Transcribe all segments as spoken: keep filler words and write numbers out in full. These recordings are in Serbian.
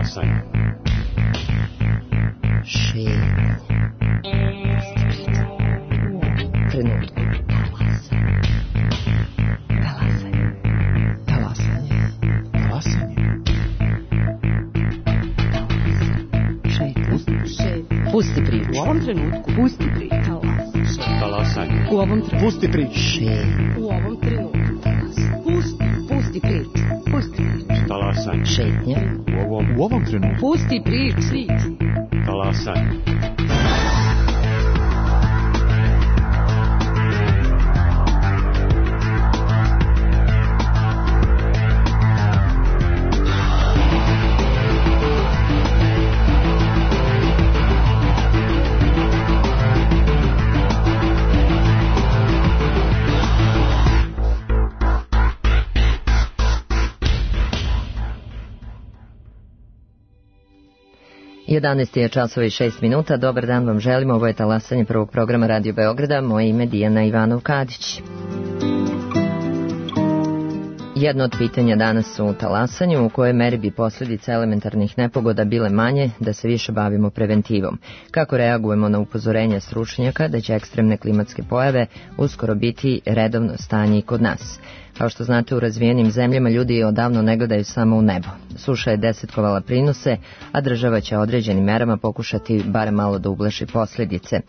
Talasanje. Šetnja. Trenutku. Talasanje. Talasanje. Talasanje. Šetnja. Šetnja. Pusti priču. U ovom trenutku. Pusti priču. Talasanje. Talasanje. U ovom trenutku. Pusti priču. Šetnja. U ovom trenutku. Pusti. Pusti priču. Pusti priču. Talasanje. Šetnja. U ovom, U ovom trenutku. Pusti priču. talasanje. jedanaest je časova i šest minuta. Dobar dan vam želimo. Ovo je talasanje prvog programa Radio Beograda. Moje ime Dijana Ivanov-Kadić. Jedno od pitanja danas u talasanju, u kojoj meri bi posljedice elementarnih nepogoda bile manje da se više bavimo preventivom. Kako reagujemo na upozorenja stručnjaka da će ekstremne klimatske pojave uskoro biti redovno stanje i kod nas. Kao što znate, u razvijenim zemljama ljudi odavno ne gledaju samo u nebo. Suša je desetkovala prinose, a država će određenim merama pokušati barem malo da ublaži posljedice.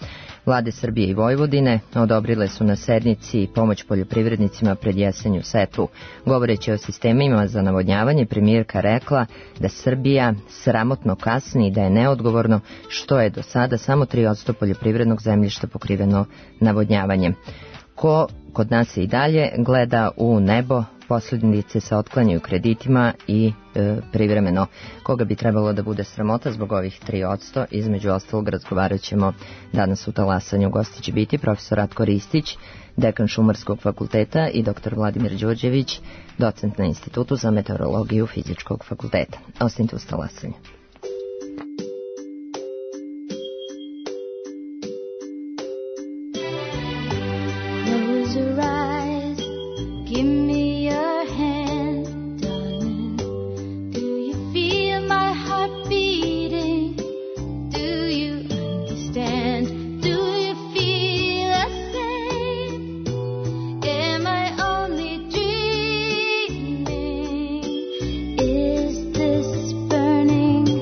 Vlade Srbije i Vojvodine odobrile su na sednici pomoć poljoprivrednicima pred jesenju setvu. Govoreći o sistemima za navodnjavanje, premijerka rekla da Srbija sramotno kasni i da je neodgovorno što je do sada samo tri posto poljoprivrednog zemljišta pokriveno navodnjavanjem. Ko kod nas i dalje gleda u nebo, posljedice se otklanjaju kreditima i e, privremeno. Koga bi trebalo da bude sramota zbog ovih tri posto, između ostalog razgovarat ćemo danas u talasanju. Gosti će biti profesor Ratko Ristić, dekan Šumarskog fakulteta, i doktor Vladimir Đurđević, docent na Institutu za meteorologiju Fizičkog fakulteta. Ostanite uz talasanje. Burning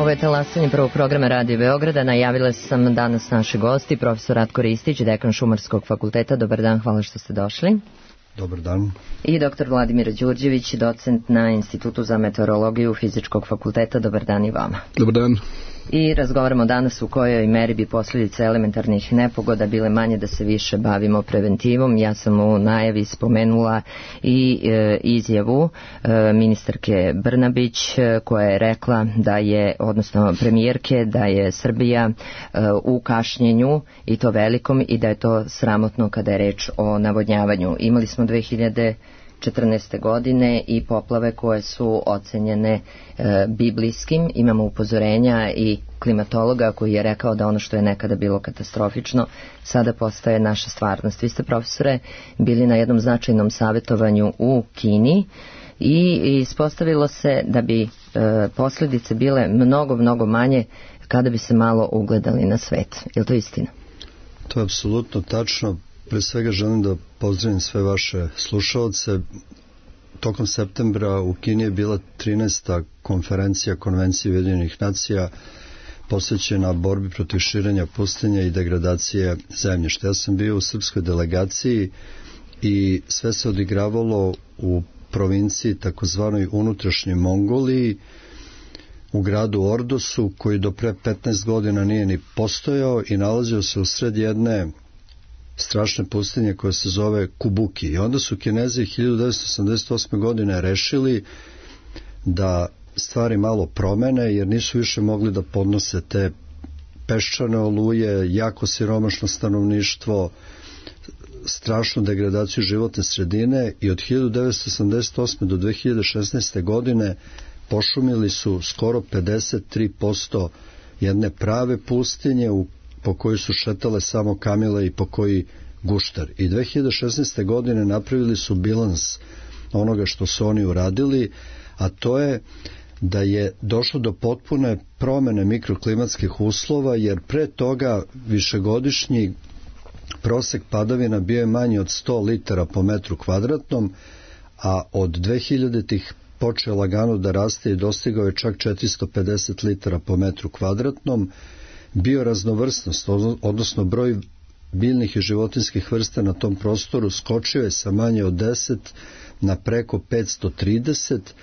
Ovo je talasanje prvog programa Radio Beograda. Najavila sam danas naši gosti, profesor Ratko Ristić, dekan Šumarskog fakulteta. Dobar dan, hvala što ste došli. Dobar dan. I doktor Vladimir Đurđević, docent na Institutu za meteorologiju Fizičkog fakulteta. Dobar dan i vama. Dobar dan. I razgovaramo danas u kojoj meri bi posljedice elementarnih nepogoda bile manje da se više bavimo preventivom. Ja sam u najavi spomenula i e, izjavu e, ministarke Brnabić e, koja je rekla da je, odnosno premijerke, da je Srbija e, u kašnjenju i to velikom i da je to sramotno kada je reč o navodnjavanju. Imali smo dve hiljade četrnaeste. godine i poplave koje su ocenjene e, biblijskim. Imamo upozorenja i klimatologa koji je rekao da ono što je nekada bilo katastrofično sada postaje naša stvarnost. Vi ste, profesore, bili na jednom značajnom savjetovanju u Kini i ispostavilo se da bi e, posljedice bile mnogo, mnogo manje kada bi se malo ugledali na svet. Je li to istina? To je apsolutno tačno. Pre svega želim da pozdravim sve vaše slušaoce. Tokom septembra u Kini je bila trinaesta konferencija Konvencije Ujedinjenih nacija posvećena borbi protiv širenja pustinja i degradacije zemljišta. Ja sam bio u srpskoj delegaciji i sve se odigravalo u provinciji takozvanoj unutrašnjoj Mongoliji, u gradu Ordosu, koji do pre petnaest godina nije ni postojao i nalazio se u sred jedne strašne pustinje koja se zove Kubuki. I onda su Kinezi hiljadu devetsto osamdeset osme. godine rešili da stvari malo promene, jer nisu više mogli da podnose te peščane oluje, jako siromašno stanovništvo, strašnu degradaciju životne sredine, i od hiljadu devetsto osamdeset osme. do dve hiljade šesnaeste. godine pošumili su skoro pedeset tri posto jedne prave pustinje u po kojoj su šetale samo kamile i po koji guštar. I dve hiljade šesnaeste. godine napravili su bilans onoga što su oni uradili, a to je da je došlo do potpune promene mikroklimatskih uslova, jer pre toga višegodišnji prosek padavina bio je manji od sto litara po metru kvadratnom, a od dve hiljaditih počeo lagano da raste i dostigao je čak četiristo pedeset litara po metru kvadratnom. Bioraznovrsnost, odnosno broj biljnih i životinjskih vrsta na tom prostoru skočio je sa manje od deset na preko petsto trideset.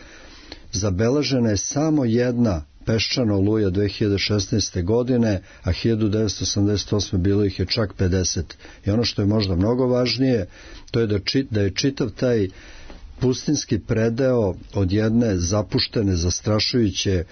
Zabeležena je samo jedna peščana oluja dve hiljade šesnaeste. godine, a hiljadu devetsto osamdeset osme. bilo ih je čak pedeset. I ono što je možda mnogo važnije, to je da, či, da je čitav taj pustinski predeo od jedne zapuštene, zastrašujuće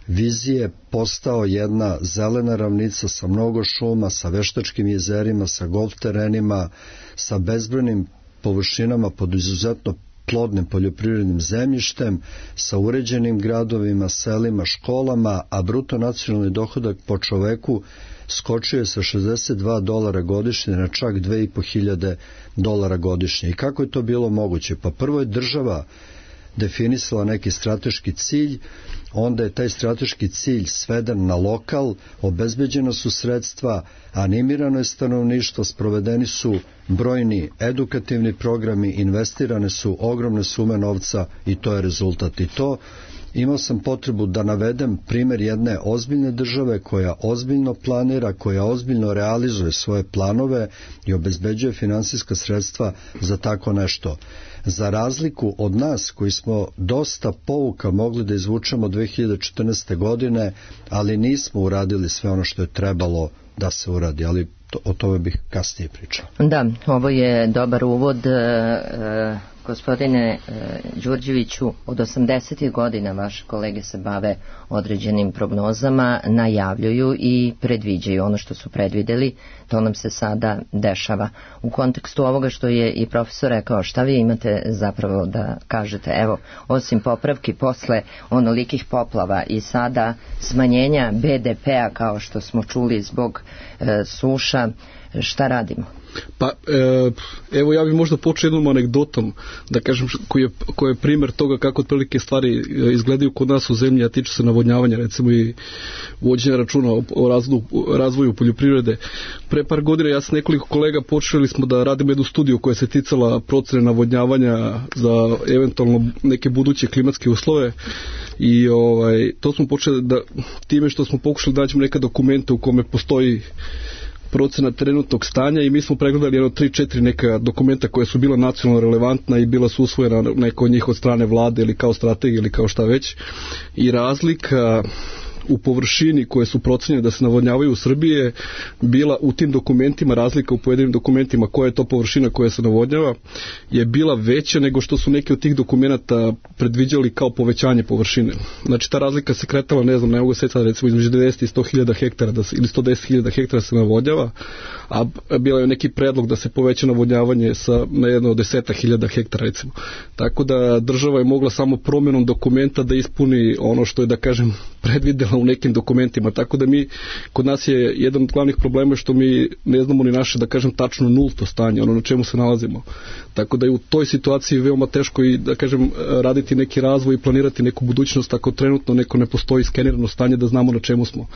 vizije postao jedna zelena ravnica sa mnogo šuma, sa veštačkim jezerima, sa golf terenima, sa bezbrojnim površinama pod izuzetno plodnim poljoprivrednim zemljištem, sa uređenim gradovima, selima, školama, a bruto nacionalni dohodak po čoveku skočio je sa šezdeset dva dolara godišnje na čak dve i po hiljade dolara godišnje. I kako je to bilo moguće? Pa prvo je država definisala neki strateški cilj, onda je taj strateški cilj sveden na lokal, obezbeđena su sredstva, animirano je stanovništvo, sprovedeni su brojni edukativni programi, investirane su ogromne sume novca i to je rezultat. I to imao sam potrebu da navedem primjer jedne ozbiljne države koja ozbiljno planira, koja ozbiljno realizuje svoje planove i obezbeđuje finansijska sredstva za tako nešto. Za razliku od nas koji smo dosta pouka mogli da izvučemo dve hiljade četrnaeste. godine, ali nismo uradili sve ono što je trebalo da se uradi, ali to, o tome bih kasnije pričao. Da, ovo je dobar uvod. E, e, gospodine e, Đurđeviću, od osamdesetih godina vaše kolege se bave određenim prognozama, najavljuju i predviđaju ono što su predvideli, to nam se sada dešava. U kontekstu ovoga što je i profesor rekao, šta vi imate zapravo da kažete? Evo, osim popravki posle onolikih poplava i sada smanjenja be de pe a kao što smo čuli zbog e, suša, šta radimo? Pa e, evo ja bih možda počeo jednom anegdotom da kažem koji je, koji je primjer toga kako otprilike stvari izgledaju kod nas u zemlji, a tiče se navodnjavanja recimo i vođenja računa o, o razvoju, razvoju poljoprivrede. Pre par godina ja s nekoliko kolega počeli smo da radimo jednu studiju koja se ticala procene navodnjavanja za eventualno neke buduće klimatske uslove i ovaj, to smo počeli da time što smo pokušali da nađemo neke dokumente u kome postoji procena trenutnog stanja i mi smo pregledali jedno tri četiri neka dokumenta koja su bila nacionalno relevantna i bila su usvojena neko od njih od strane vlade ili kao strategija ili kao šta već i razlika u površini koje su procenjene da se navodnjavaju u Srbiji je bila u tim dokumentima, razlika u pojedinim dokumentima koja je to površina koja se navodnjava je bila veća nego što su neki od tih dokumenata predviđali kao povećanje površine. Znači ta razlika se kretala, ne znam, ne mogu se sad recimo između devedeset i sto hiljada hektara da se, ili sto deset hiljada hektara se navodnjava, a bila je neki predlog da se poveća navodnjavanje sa, na jedno od deseta hiljada hektara recimo. Tako da država je mogla samo promjenom dokumenta da ispuni ono što je da kažem predvidela u nekim dokumentima, tako da mi, kod nas je jedan od glavnih problema što mi ne znamo ni naše, da kažem, tačno nulto stanje, ono na čemu se nalazimo. Tako da je u toj situaciji veoma teško i, da kažem, raditi neki razvoj i planirati neku budućnost ako trenutno neko ne postoji skenirano stanje da znamo na čemu smo.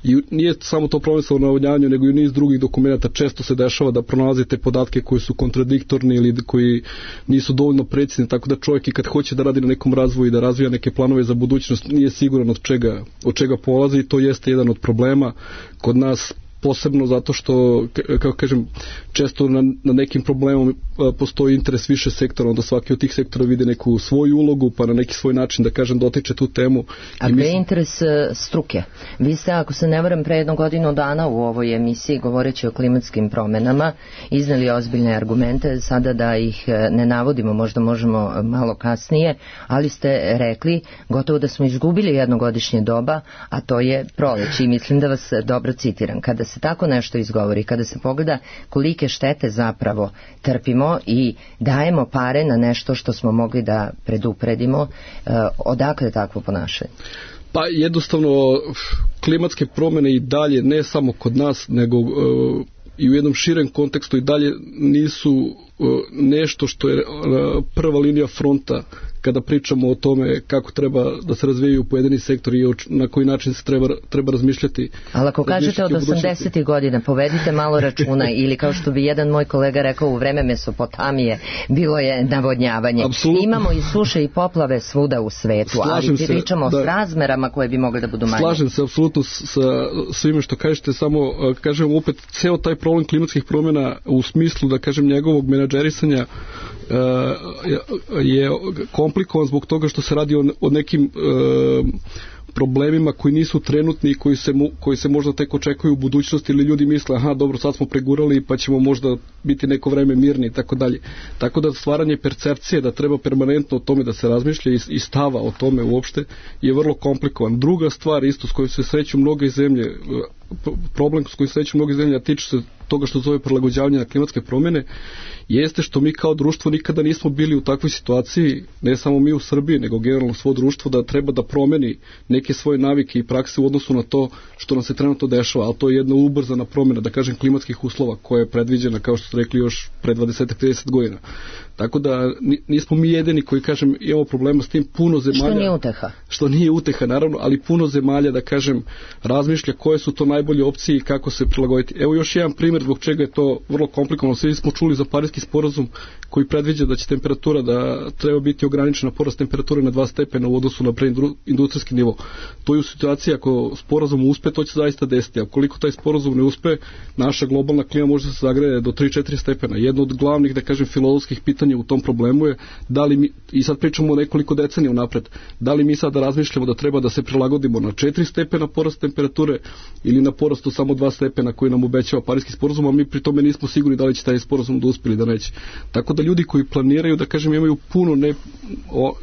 I nije samo to problem sa navodnjavanjem, nego i niz drugih dokumenta. Često se dešava da pronalazite podatke koji su kontradiktorni ili koji nisu dovoljno precizni, tako da čovjek i kad hoće da radi na nekom razvoju i da razvija neke planove za budućnost, nije siguran od čega, od čega polazi i to jeste jedan od problema kod nas, posebno zato što, kako kažem, često na, na nekim problemom postoji interes više sektora, onda svaki od tih sektora vide neku svoju ulogu, pa na neki svoj način, da kažem, dotiče tu temu. A gde je interes struke? Vi ste, ako se ne varam, pre jednu godinu dana u ovoj emisiji, govoreći o klimatskim promenama, izneli ozbiljne argumente, sada da ih ne navodimo, možda možemo malo kasnije, ali ste rekli gotovo da smo izgubili jednogodišnje doba, a to je proleće, i mislim da vas dobro citiram. Kada se tako nešto izgovori, kada se pogleda kolike štete zapravo trpimo i dajemo pare na nešto što smo mogli da predupredimo, odakle takvo ponašanje? Pa jednostavno klimatske promjene i dalje, ne samo kod nas, nego uh, i u jednom širem kontekstu i dalje nisu uh, nešto što je uh, prva linija fronta kada pričamo o tome kako treba da se razvijaju pojedini sektori i na koji način se treba, treba razmišljati. Ali ako kažete od osamdesetih godina, povedite malo računa, ili kao što bi jedan moj kolega rekao, u vreme Mesopotamije bilo je navodnjavanje. Apsolutno. Imamo i suše i poplave svuda u svetu, Slažem ali pričamo se, da, s razmerama koje bi mogle da budu manje. Slažem se apsolutno sa svime što kažete, samo kažem opet, ceo taj problem klimatskih promjena u smislu, da kažem, njegovog menadžerisanja je komplikovan zbog toga što se radi o, o nekim e, problemima koji nisu trenutni i koji se, koji se možda tek očekuju u budućnosti, ili ljudi misle, aha, dobro, sad smo pregurali pa ćemo možda biti neko vreme mirni i tako dalje. Tako da stvaranje percepcije da treba permanentno o tome da se razmišlja i, i stava o tome uopšte je vrlo komplikovan. Druga stvar isto s kojom se sreću mnoge zemlje, problem s kojim se sreću mnoge zemlje, a tiče se toga što zove prilagođavanje na klimatske promjene, jeste što mi kao društvo nikada nismo bili u takvoj situaciji, ne samo mi u Srbiji, nego generalno svo društvo, da treba da promeni neke svoje navike i prakse u odnosu na to što nam se trenutno dešava, ali to je jedna ubrzana promjena, da kažem, klimatskih uslova koja je predviđena, kao što ste rekli, još pre dvadeset do trideset godina. Tako da nismo mi jedini koji, kažem, imamo problema s tim. Puno zemalja... Što nije uteha. Što nije uteha, naravno, ali puno zemalja, da kažem, razmišlja koje su to najbolje opcije i kako se prilagoditi. Evo još jedan primjer zbog čega je to vrlo komplikovano. Svi smo čuli za Pariski sporazum koji predviđa da će temperatura, da treba biti ograničena porast temperature na dva stepena u odnosu na preindustrijski nivo. To je u situaciji ako sporazum uspe, to će zaista desiti. A koliko taj sporazum ne uspe, naša globalna klima može da se zagreje do tri do četiri stepena. Jedno od glavnih, da kažem, filozofskih pitanja u tom problemu je da li mi, i sad pričamo o nekoliko decenija unapred, da li mi sada razmišljamo da treba da se prilagodimo na četiri stepena porast temperature ili na porastu samo dva stepena koji nam obećava Pariski sporazum, a mi pri tome nismo sigurni da li će taj sporazum da uspe ili da neće. Tako da ljudi koji planiraju, da kažem, imaju puno ne, o,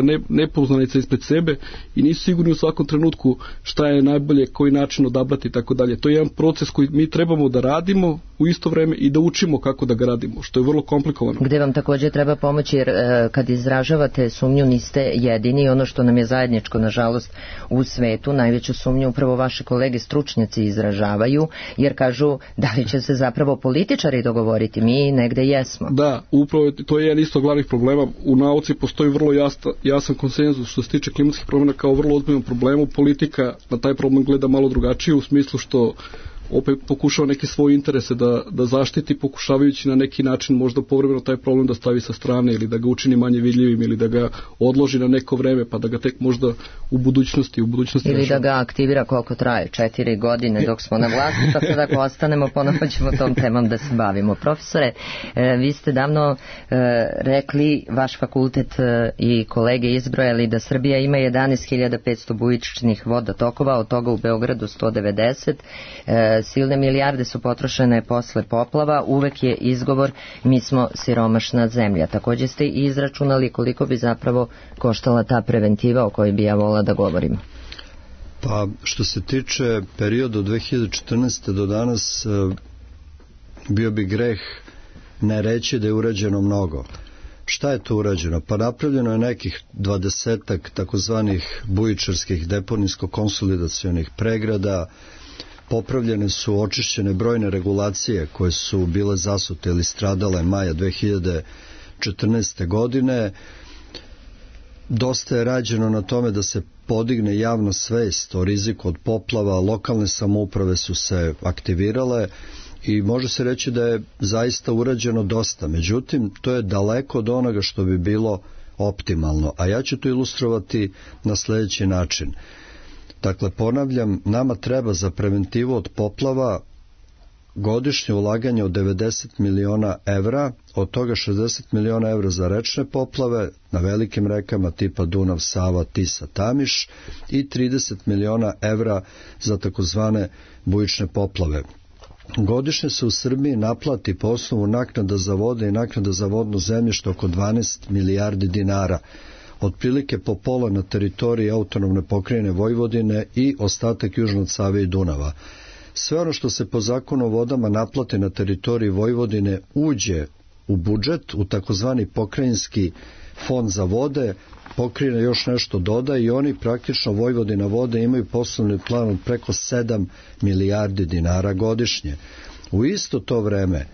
ne, nepoznanica ispred sebe i nisu sigurni u svakom trenutku šta je najbolje, koji način odabrati i tako dalje. To je jedan proces koji mi trebamo da radimo u isto vreme i da učimo kako da ga radimo, što je vrlo komplikovano. Gde vam također treba pomoći, jer e, kad izražavate sumnju niste jedini, ono što nam je zajedničko, nažalost, u svetu, najveću sumnju upravo vaše kolege stručnjaci stručnjaci izražavaju, jer kažu da li će se zapravo političari dogovoriti, mi negde jesmo. Da, upravo to je jedan isto glavnih problema. U nauci postoji vrlo jasna, jasan konsenzus što se tiče klimatskih promjena kao vrlo ozbiljnom problemu. Politika na taj problem gleda malo drugačije u smislu što opet pokušava neke svoje interese da, da zaštiti, pokušavajući na neki način možda povremeno taj problem da stavi sa strane ili da ga učini manje vidljivim ili da ga odloži na neko vreme pa da ga tek možda u budućnosti u budućnosti ili rešava. Da ga aktivira koliko traje, četiri godine dok smo na vlasti, pa sad ako ostanemo ponovo ćemo tom temom da se bavimo. Profesore, e, vi ste davno e, rekli, vaš fakultet e, i kolege izbrojali da Srbija ima jedanaest hiljada petsto bujičnih vodotokova, od toga u Beogradu sto devedeset. E, silne milijarde su potrošene posle poplava, uvek je izgovor mi smo siromašna zemlja. Takođe ste i izračunali koliko bi zapravo koštala ta preventiva o kojoj bi ja volila da govorimo. Pa što se tiče perioda od dve hiljade četrnaeste. do danas, bio bi greh ne reći da je urađeno mnogo. Šta je to urađeno? Pa napravljeno je nekih dvadesetak takozvanih bujičarskih deponijsko-konsolidacionih pregrada, popravljene su, očišćene brojne regulacije koje su bile zasute ili stradale maja dve hiljade četrnaeste. godine. Dosta je rađeno na tome da se podigne javna svest o riziku od poplava, lokalne samouprave su se aktivirale i može se reći da je zaista urađeno dosta. Međutim, to je daleko od onoga što bi bilo optimalno, a ja ću to ilustrovati na sljedeći način. Dakle, ponavljam, nama treba za preventivu od poplava godišnje ulaganje od devedeset miliona evra, od toga šezdeset miliona evra za rečne poplave na velikim rekama tipa Dunav, Sava, Tisa, Tamiš i trideset miliona evra za takozvane bujične poplave. Godišnje se u Srbiji naplati po osnovu naknada za vode i naknada za vodno zemljište oko dvanaest milijardi dinara. Otprilike po pola na teritoriji autonomne pokrajine Vojvodine i ostatak južno od Save i Dunava. Sve ono što se po zakonu o vodama naplati na teritoriji Vojvodine uđe u budžet, u takozvani pokrajinski fond za vode, pokrajina još nešto doda i oni praktično Vojvodina vode imaju poslovni plan od preko sedam milijardi dinara godišnje. U isto to vreme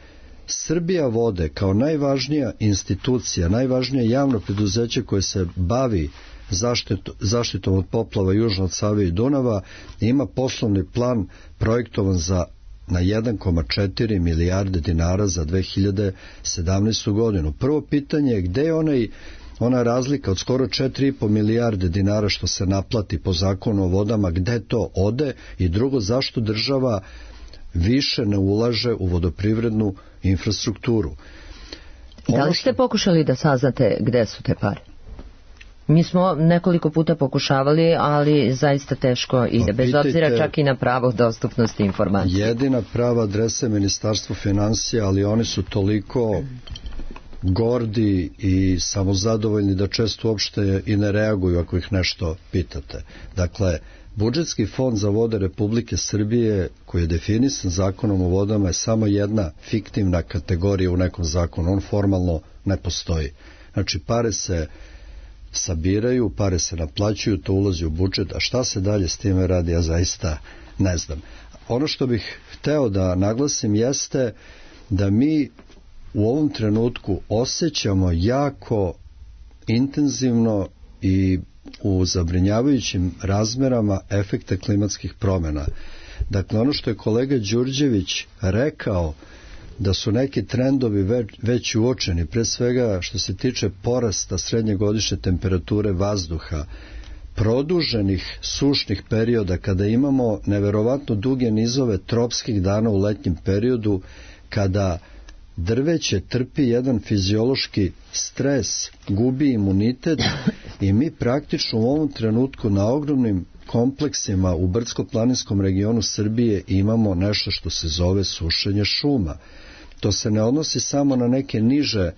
Srbija vode kao najvažnija institucija, najvažnije javno preduzeće koje se bavi zaštitu, zaštitom od poplava južno od Save i Dunava ima poslovni plan projektovan za na jedan zarez četiri milijarde dinara za dve hiljade sedamnaestu. godinu. Prvo pitanje je gde je onaj, ona razlika od skoro četiri i po milijarde dinara što se naplati po zakonu o vodama, gde to ode i drugo, zašto država više ne ulaže u vodoprivrednu infrastrukturu. Ono da li ste pokušali da saznate gde su te pare? Mi smo nekoliko puta pokušavali, ali zaista teško ide, bez obzira čak i na pravo dostupnosti informacije. Jedina prava adresa je Ministarstvo finansija, ali oni su toliko gordi i samozadovoljni da često uopšte i ne reaguju ako ih nešto pitate. Dakle, budžetski fond za vode Republike Srbije, koji je definisan zakonom o vodama, je samo jedna fiktivna kategorija u nekom zakonu. On formalno ne postoji. Znači, pare se sabiraju, pare se naplaćuju, to ulazi u budžet, a šta se dalje s time radi, ja zaista ne znam. Ono što bih hteo da naglasim jeste da mi u ovom trenutku osjećamo jako intenzivno i u zabrinjavajućim razmerama efekte klimatskih promjena. Dakle, ono što je kolega Đurđević rekao, da su neki trendovi već, već uočeni, pre svega što se tiče porasta srednje godišnje temperature vazduha, produženih sušnih perioda, kada imamo neverovatno duge nizove tropskih dana u letnjem periodu, kada drveće trpi jedan fiziološki stres, gubi imunitet i mi praktično u ovom trenutku na ogromnim kompleksima u brdsko-planinskom regionu Srbije imamo nešto što se zove sušenje šuma. To se ne odnosi samo na neke niže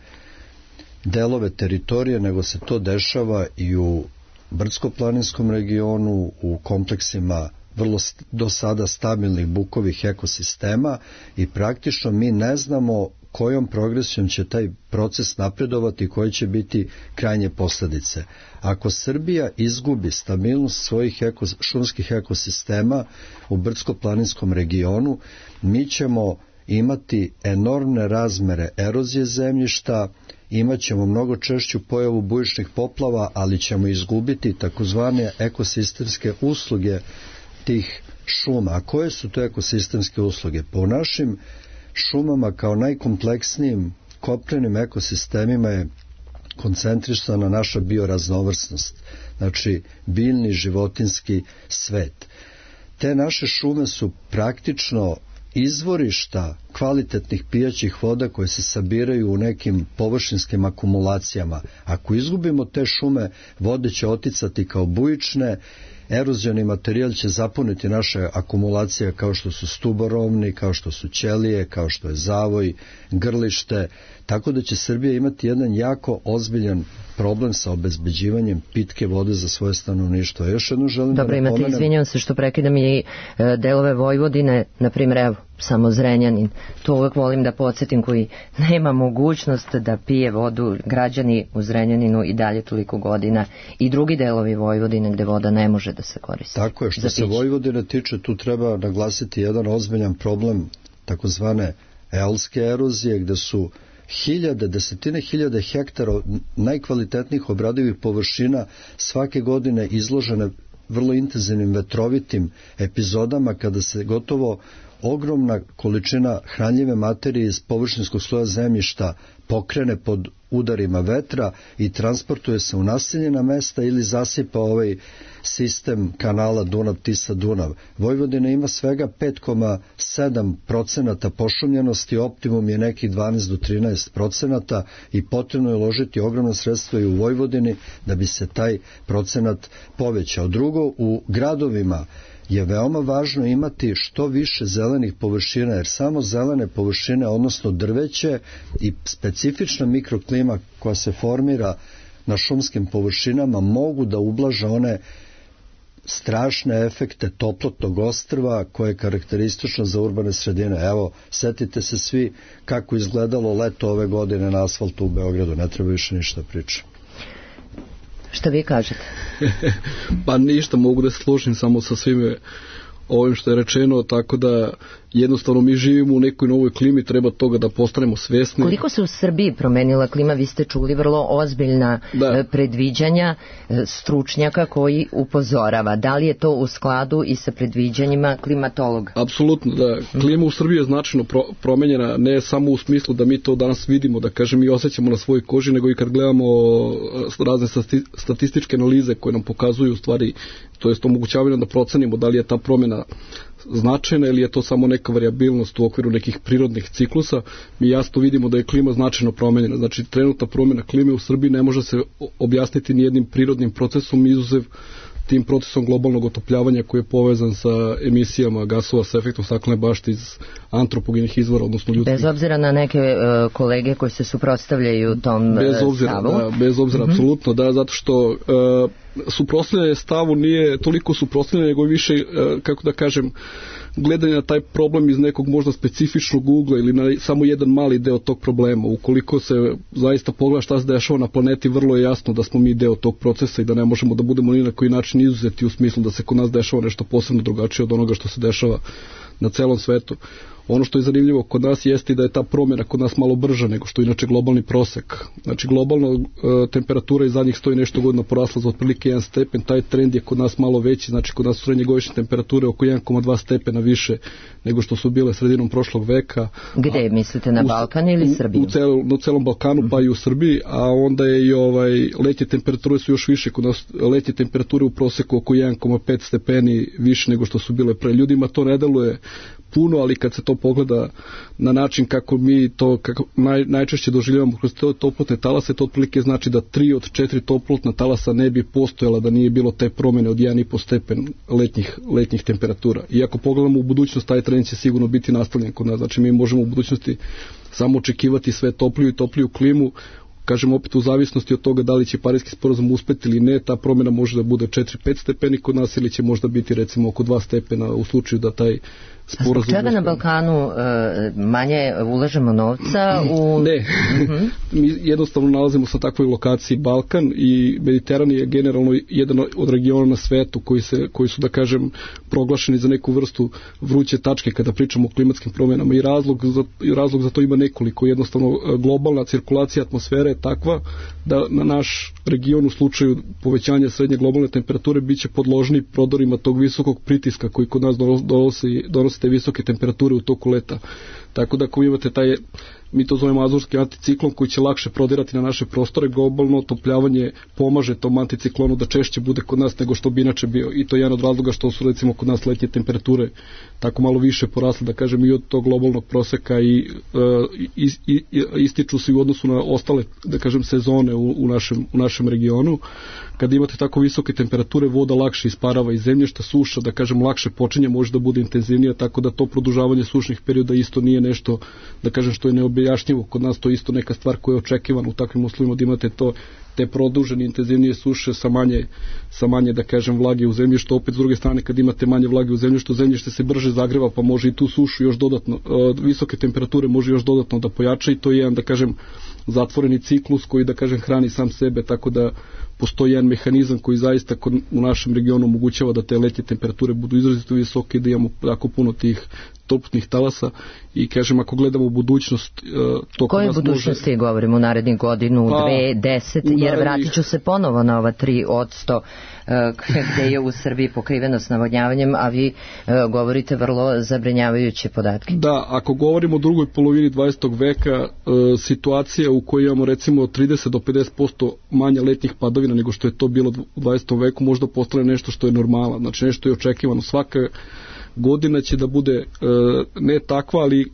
delove teritorije, nego se to dešava i u brdsko-planinskom regionu, u kompleksima vrlo do sada stabilnih bukovih ekosistema i praktično mi ne znamo kojom progresijom će taj proces napredovati i koje će biti krajnje posljedice. Ako Srbija izgubi stabilnost svojih eko, šumskih ekosistema u brdsko-planinskom regionu, mi ćemo imati enormne razmere erozije zemljišta, imat ćemo mnogo češću pojavu bujičnih poplava, ali ćemo izgubiti takozvane ekosistemske usluge tih šuma. A koje su to ekosistemske usluge? Po našim šumama kao najkompleksnijim kopnenim ekosistemima je koncentrisana naša bioraznovrsnost, znači biljni životinski svet. Te naše šume su praktično izvorišta kvalitetnih pijaćih voda koje se sabiraju u nekim površinskim akumulacijama. Ako izgubimo te šume, vode će oticati kao bujične, erozioni materijal će zapuniti naše akumulacije kao što su stuborovni, kao što su ćelije, kao što je zavoj, grlište, tako da će Srbija imati jedan jako ozbiljan problem sa obezbeđivanjem pitke vode za svoje stanovništvo. Još jedno želim Dobro, da napomenem... Dobro, imate, izvinjam se što prekidam i e, delove Vojvodine, na primjer, evo, samo Zrenjanin. To uvek volim da podsjetim, koji nema mogućnost da pije vodu, građani u Zrenjaninu i dalje toliko godina, i drugi delovi Vojvodine gde voda ne može da se koristi. Tako je, što se Vojvodine tiče, tu treba naglasiti jedan ozbiljan problem takozvane elske erozije, gde su hiljade, desetine hiljade hektara najkvalitetnijih obradivih površina svake godine izložene vrlo intenzivnim vetrovitim epizodama, kada se gotovo ogromna količina hranljive materije iz površinskog sloja zemljišta pokrene pod udarima vetra i transportuje se u naseljena mesta ili zasipa ovaj sistem kanala Dunav-Tisa-Dunav. Vojvodina ima svega pet zarez sedam procenata pošumljenosti, optimum je nekih dvanaest do trinaest procenata i potrebno je uložiti ogromna sredstva i u Vojvodini da bi se taj procenat povećao. Drugo, u gradovima je veoma važno imati što više zelenih površina, jer samo zelene površine, odnosno drveće i specifična mikroklima koja se formira na šumskim površinama, mogu da ublaže one strašne efekte toplotnog ostrva koje je karakteristično za urbane sredine. Evo, setite se svi kako izgledalo leto ove godine na asfaltu u Beogradu, ne treba više ništa pričati. Šta vi kažete? Pa ništa, mogu da se složim samo sa svime ovim što je rečeno, tako da jednostavno mi živimo u nekoj novoj klimi, treba toga da postanemo svesni. Koliko se u Srbiji promenila klima? Vi ste čuli vrlo ozbiljna da. predviđanja stručnjaka koji upozorava. Da li je to u skladu i sa predviđanjima klimatologa? Apsolutno, da. Klima u Srbiji je značajno pro, promenjena, ne samo u smislu da mi to danas vidimo, da kažem i osjećamo na svojoj koži, nego i kad gledamo razne statističke analize koje nam pokazuju u stvari, to jest omogućavaju da procenimo da li je ta promjena značajna ili je to samo neka variabilnost u okviru nekih prirodnih ciklusa. Mi jasno vidimo da je klima značajno promenjena. Znači, trenutna promjena klime u Srbiji ne može se objasniti ni jednim prirodnim procesom, izuzev tim procesom globalnog otopljavanja koji je povezan sa emisijama gasova sa efektom staklene bašte iz antropogenih izvora, odnosno ljudskih. Bez obzira na neke uh, kolege koji se suprotstavljaju tom bez obzira, stavu? Da, bez obzira, mm-hmm. apsolutno, da, zato što uh, suprotstavljanje stavu nije toliko suprotstavljanje, nego više, uh, kako da kažem, gledanje na taj problem iz nekog možda specifičnog ugla ili na samo jedan mali deo tog problema. Ukoliko se zaista pogleda šta se dešava na planeti, vrlo je jasno da smo mi deo tog procesa i da ne možemo da budemo ni na koji način izuzeti u smislu da se kod nas dešava nešto posebno drugačije od onoga što se dešava na celom svetu. Ono što je zanimljivo kod nas jeste da je ta promjena kod nas malo brža nego što je inače globalni prosek. Znači globalna e, temperatura iz zadnjih sto i nešto godina porasla za otprilike jedan stepen, taj trend je kod nas malo veći, znači kod nas su srednjegodišnje temperature oko jedan zarez dva stepena više nego što su bile sredinom prošlog veka. Gde a, mislite, na Balkan ili Srbiju? U, u cel, na celom Balkanu, pa i u Srbiji, a onda je i ovaj, letnje temperature su još više, kod nas letnje temperature u proseku oko jedan zarez pet stepeni više nego što su bile pre. Ljudima to ne deluje puno, ali kad se to pogleda na način kako mi to kako naj, najčešće doživljavamo kroz te toplotne talase, to otprilike znači da tri od četiri toplotna talasa ne bi postojala da nije bilo te promjene od jedan zarez pet stepen letnjih, letnjih temperatura. I ako pogledamo u budućnost, taj trend će sigurno biti nastavljen kod nas. Znači mi možemo u budućnosti samo očekivati sve topliju i topliju klimu. Kažem opet u zavisnosti od toga da li će Pariski sporazum uspeti ili ne, ta promjena može da bude četiri do pet stepeni kod nas ili će možda biti recimo oko dva stepena u slučaju da taj sporazum. Zbog čega na Balkanu e, manje ulažemo novca u... Ne, uh-huh. Mi jednostavno nalazimo se na takvoj lokaciji. Balkan i Mediteran je generalno jedan od regiona na svetu koji, se, koji su, da kažem, proglašeni za neku vrstu vruće tačke kada pričamo o klimatskim promjenama i razlog za, i razlog za to ima nekoliko. Jednostavno globalna cirkulacija atmosfere je takva da na naš region u slučaju povećanja srednje globalne temperature biće podložni prodorima tog visokog pritiska koji kod nas donosi, donosi te visoke temperature u toku leta. Tako da ako imate taj, mi to zovemo azurski anticiklon koji će lakše prodirati na naše prostore, globalno otopljavanje pomaže tom anticiklonu da češće bude kod nas nego što bi inače bio. I to je jedan od razloga što su recimo kod nas letnje temperature tako malo više porasle, da kažem, i od tog globalnog proseka i, i, i, i ističu se u odnosu na ostale, da kažem, sezone u, u, našem, u našem regionu. Kada imate tako visoke temperature, voda lakše isparava iz zemljišta, suša, da kažem, lakše počinje, može da bude intenzivnija, tako da to produžavanje sušnih perioda isto nije nešto, da kažem, što je neobjašnjivo. Kod nas to isto neka stvar koja je očekivana u takvim uslovima, da imate to, te produžene, intenzivnije suše sa manje, sa manje, da kažem, vlage u zemljištu. Opet s druge strane, kad imate manje vlage u zemljištu, zemljište se brže zagreva, pa može i tu sušu još dodatno, visoke temperature može još dodatno da pojača i to je jedan, da kažem, zatvoreni ciklus koji, da kažem, hrani sam sebe, tako da postoji jedan mehanizam koji zaista kod, u našem regionu omogućava da te letnje temperature budu izrazito visoke i da imamo jako puno tih toplotnih talasa i kažem, ako gledamo u budućnost uh, to koje budućnosti može... govorimo u narednih godinu, pa, dve, deset, jer narednih... vratit ću se ponovo na ova tri odsto uh, gde je u Srbiji pokrivenost navodnjavanjem, a vi uh, govorite vrlo zabrinjavajuće podatke. Da, ako govorimo o drugoj polovini dvadesetog veka, uh, situacija u kojoj imamo recimo trideset do pedeset posto manje letnjih padavina nego što je to bilo u dvadesetom veku, možda postane nešto što je normala, znači nešto je očekivano. Svaka godina će da bude e, ne takva, ali e, e,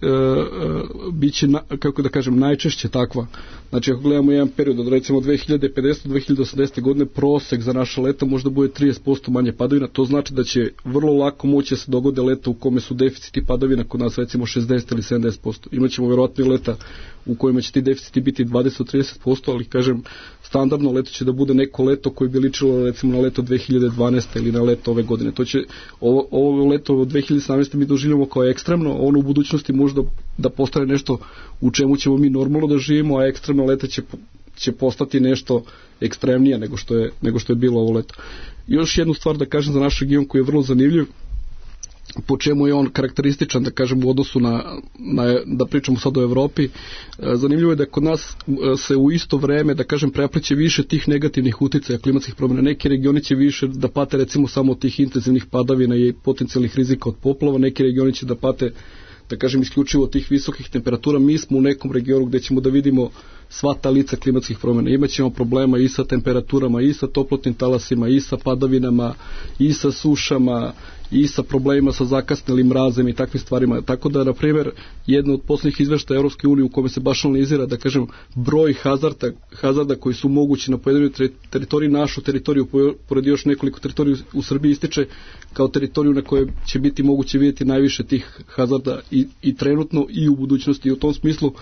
bit će, na, kako da kažem, najčešće takva. Znači, ako gledamo jedan period od recimo dve hiljade pedesete do dve hiljade osamdesete godine, prosek za naša leta možda bude trideset posto manje padavina, to znači da će vrlo lako moći da se dogode leta u kome su deficiti padavina kod nas recimo šezdeset ili sedamdeset posto. Imaćemo verovatno i leta u kojima će ti deficiti biti dvadeset do trideset posto, ali kažem, standardno leto će da bude neko leto koje bi ličilo recimo na leto dve hiljade dvanaeste ili na leto ove godine. To će, ovo, ovo leto od dve hiljade sedamnaeste mi doživljamo kao ekstremno, ono u budućnosti možda da postane nešto u čemu ćemo mi normalno da živimo, a ekstremno leta će, će postati nešto ekstremnije nego što je, nego što je bilo ovo leto. Još jednu stvar da kažem za naš region koji je vrlo zanimljiv, po čemu je on karakterističan, da kažem, u odnosu na, na da pričamo sad o Evropi. Zanimljivo je da kod nas se u isto vreme, da kažem, prepliče više tih negativnih uticaja klimatskih promjena. Neki regioni će više da pate recimo samo od tih intenzivnih padavina i potencijalnih rizika od poplava, neki regioni će da pate, da kažem, isključivo od tih visokih temperatura. Mi smo u nekom regionu gde ćemo da vidimo sva ta lica klimatskih promjena. Imaćemo problema i sa temperaturama, i sa toplotnim talasima, i sa padavinama, i sa sušama, i sa problemima sa zakasnelim mrazem i takvim stvarima. Tako da, na primjer, jedno od poslednjih izveštaja Evropske unije u kome se baš analizira, da kažem, broj hazarda, hazarda koji su mogući na pojedinoj teritoriji, našu teritoriju, pored još nekoliko teritoriju u Srbiji, ističe kao teritoriju na kojoj će biti moguće vidjeti najviše tih hazarda i, i trenutno i u budućnosti. I u tom smislu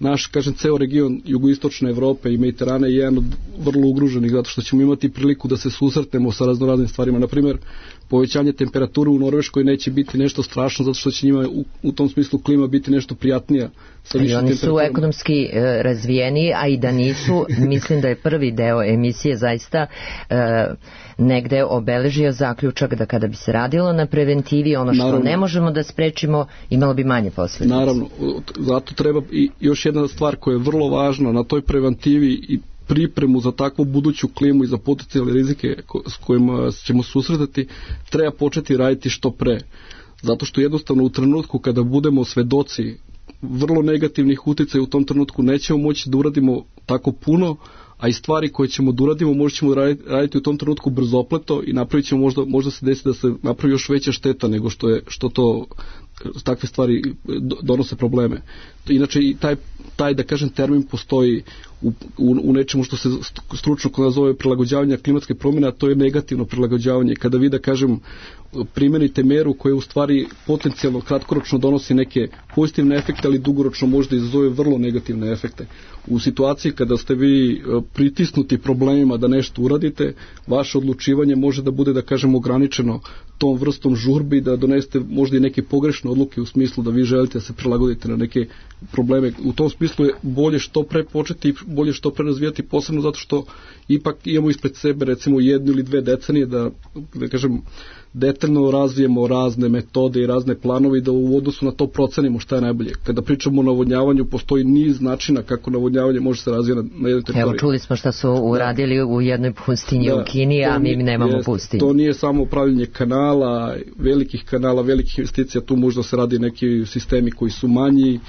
naš, kažem, ceo region jugoistočne Evrope i Mediterana je jedan od vrlo ugruženih, zato što ćemo imati priliku da se susretnemo sa raznoraznim stvarima. Na primjer, povećanje temperature u Norveškoj neće biti nešto strašno, zato što će njima u, u tom smislu klima biti nešto prijatnija. Sa I oni su ekonomski e, razvijeni, a i da nisu, mislim da je prvi deo emisije zaista e, negde obeležio zaključak da kada bi se radilo na preventivi, ono što naravno ne možemo da sprečimo, imalo bi manje posljedice. Naravno, zato treba i još jedna stvar koja je vrlo važna na toj preventivi i pripremu za takvu buduću klimu i za potencijalne rizike s kojima ćemo susretati, treba početi raditi što pre. Zato što jednostavno u trenutku kada budemo svedoci vrlo negativnih uticaja, u tom trenutku nećemo moći da uradimo tako puno, a i stvari koje ćemo da uradimo možda ćemo raditi, raditi u tom trenutku brzopleto i napravit ćemo možda, možda se desi da se napravi još veća šteta nego što je što to takve stvari donose probleme. Inače i taj, taj da kažem termin postoji u, u, u nečemu što se stručno nazove prilagođavanje klimatske promjene, a to je negativno prilagođavanje. Kada vi da kažem primenite meru koja u stvari potencijalno kratkoročno donosi neke pozitivne efekte, ali dugoročno možda izazove vrlo negativne efekte. U situaciji kada ste vi pritisnuti problemima da nešto uradite, vaše odlučivanje može da bude, da kažem, ograničeno tom vrstom žurbi, da donesete možda i neke pogrešne pogrešne odluke u smislu da vi želite da se prilagodite na neke probleme. U tom smislu je bolje što pre početi i bolje što pre razvijati, posebno zato što ipak imamo ispred sebe recimo jednu ili dve decenije da, da kažem, detaljno razvijemo razne metode i razne planove i da u odnosu na to procenimo šta je najbolje. Kada pričamo o navodnjavanju, postoji niz načina kako navodnjavanje može se razvijati na, na jednoj teritoriji. Evo, čuli smo šta su uradili u jednoj pustinji da, u Kini, a mi nemamo jest, pustinju. To nije samo upravljanje kanala, velikih kanala, velikih investicija, tu možda se radi neki sistemi koji su manji,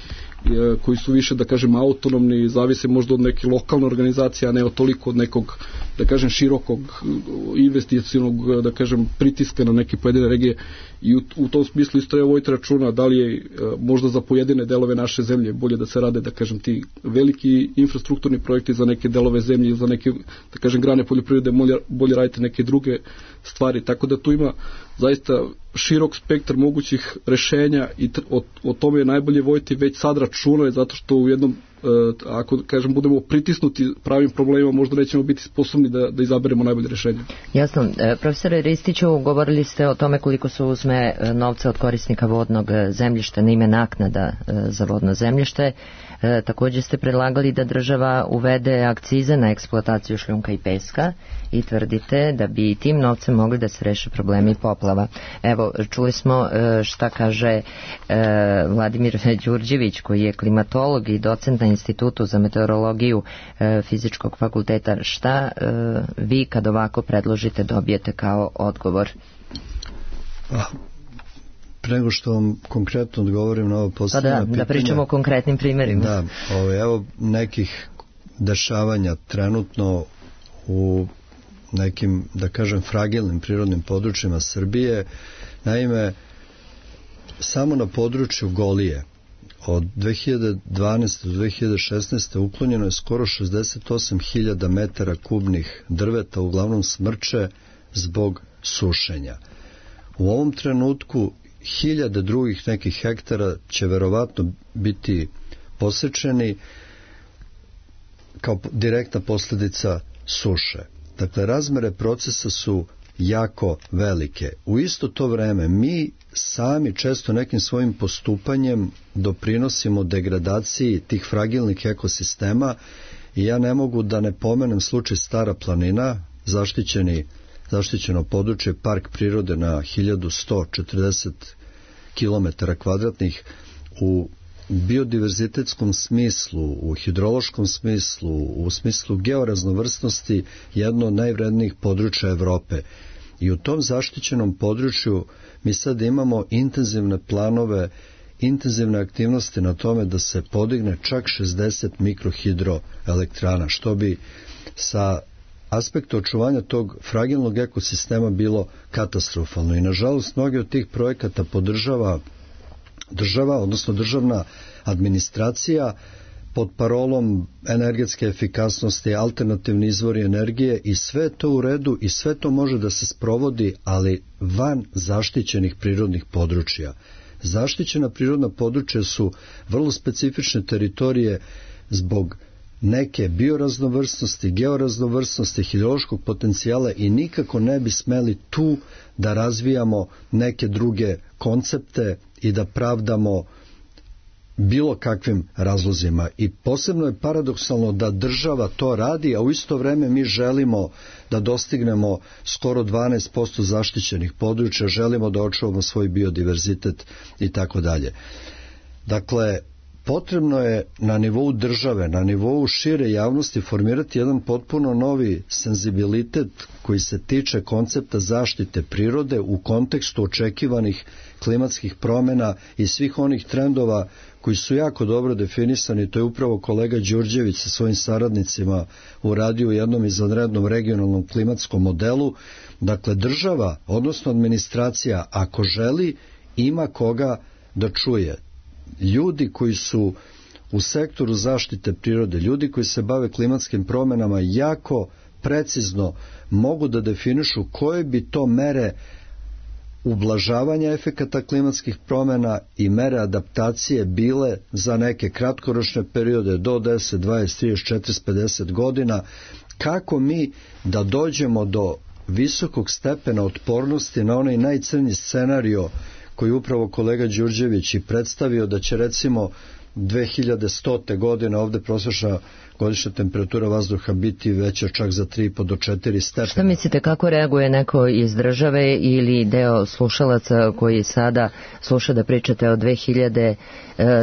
koji su više, da kažem, autonomni, zavise možda od neke lokalne organizacije, a ne od toliko od nekog, da kažem, širokog investicionog, da kažem, pritiska na neke pojedine regije. I u, u tom smislu isto je voditi računa da li je možda za pojedine delove naše zemlje bolje da se rade, da kažem, ti veliki infrastrukturni projekti za neke delove zemlje, za neke, da kažem, grane poljoprivrede, bolje, bolje raditi neke druge stvari. Tako da tu ima zaista širok spektar mogućih rešenja i o, o tome je najbolje voditi već sad računa, zato što u jednom, ako kažem, budemo pritisnuti pravim problemima, možda nećemo biti sposobni da, da izaberemo najbolje rešenje. Jasno. Profesore Ristiću, govorili ste o tome koliko se uzme novca od korisnika vodnog zemljišta na ime naknada za vodno zemljište. E, također ste predlagali da država uvede akcize na eksploataciju šljunka i peska i tvrdite da bi tim novcem mogli da se reše problemi poplava. Evo, čuli smo e, šta kaže e, Vladimir Đurđević, koji je klimatolog i docent na Institutu za meteorologiju e, Fizičkog fakulteta. Šta e, vi kad ovako predložite dobijete kao odgovor? Ah. Pre nego što vam konkretno odgovorim na ovo posljednje pa da, pitanje. Da pričamo o konkretnim primjerima. Da, ovo, evo nekih dešavanja trenutno u nekim, da kažem, fragilnim prirodnim područjima Srbije. Naime, samo na području Golije od dve hiljade dvanaeste do dve hiljade šesnaeste uklonjeno je skoro šezdeset osam hiljada metara kubnih drveta, uglavnom smrče, zbog sušenja. U ovom trenutku hiljade drugih nekih hektara će verovatno biti posečeni kao direktna posljedica suše. Dakle, razmere procesa su jako velike. U isto to vreme mi sami često nekim svojim postupanjem doprinosimo degradaciji tih fragilnih ekosistema i ja ne mogu da ne pomenem slučaj Stara planina, zaštićeni zaštićeno područje, park prirode na hiljadu sto četrdeset kilometara kvadratnih, u biodiverzitetskom smislu, u hidrološkom smislu, u smislu georaznovrsnosti, jedno od najvrednijih područja Evrope. I u tom zaštićenom području mi sad imamo intenzivne planove, intenzivne aktivnosti na tome da se podigne čak šezdeset mikrohidroelektrana, što bi sa aspekta očuvanja tog fragilnog ekosistema bilo katastrofalno. I nažalost mnogi od tih projekata podržava država, odnosno državna administracija pod parolom energetske efikasnosti, alternativni izvori energije, i sve to u redu i sve to može da se sprovodi, ali van zaštićenih prirodnih područja. Zaštićena prirodna područja su vrlo specifične teritorije zbog neke bioraznovrsnosti, georaznovrsnosti, hidrološkog potencijala i nikako ne bi smeli tu da razvijamo neke druge koncepte i da pravdamo bilo kakvim razlozima. I posebno je paradoksalno da država to radi, a u isto vreme mi želimo da dostignemo skoro dvanaest posto zaštićenih područja, želimo da očuvamo svoj biodiverzitet i tako dalje. Dakle, potrebno je na nivou države, na nivou šire javnosti formirati jedan potpuno novi senzibilitet koji se tiče koncepta zaštite prirode u kontekstu očekivanih klimatskih promjena i svih onih trendova koji su jako dobro definisani. To je upravo kolega Đurđević sa svojim saradnicima uradio u jednom izvanrednom regionalnom klimatskom modelu. Dakle, država, odnosno administracija, ako želi, ima koga da čuje. Ljudi koji su u sektoru zaštite prirode, ljudi koji se bave klimatskim promjenama, jako precizno mogu da definišu koje bi to mere ublažavanja efekata klimatskih promjena i mere adaptacije bile za neke kratkoročne periode do deset, dvadeset, trideset, četrdeset, pedeset godina, kako mi da dođemo do visokog stepena otpornosti na onaj najcrnji scenario koji upravo kolega Đurđević i predstavio, da će recimo dve hiljade stote godine ovde prosječna godišnja temperatura vazduha biti veća čak za tri i po do četiri stepena. Šta mislite, kako reaguje neko iz države ili deo slušalaca koji sada sluša da pričate o dve hiljade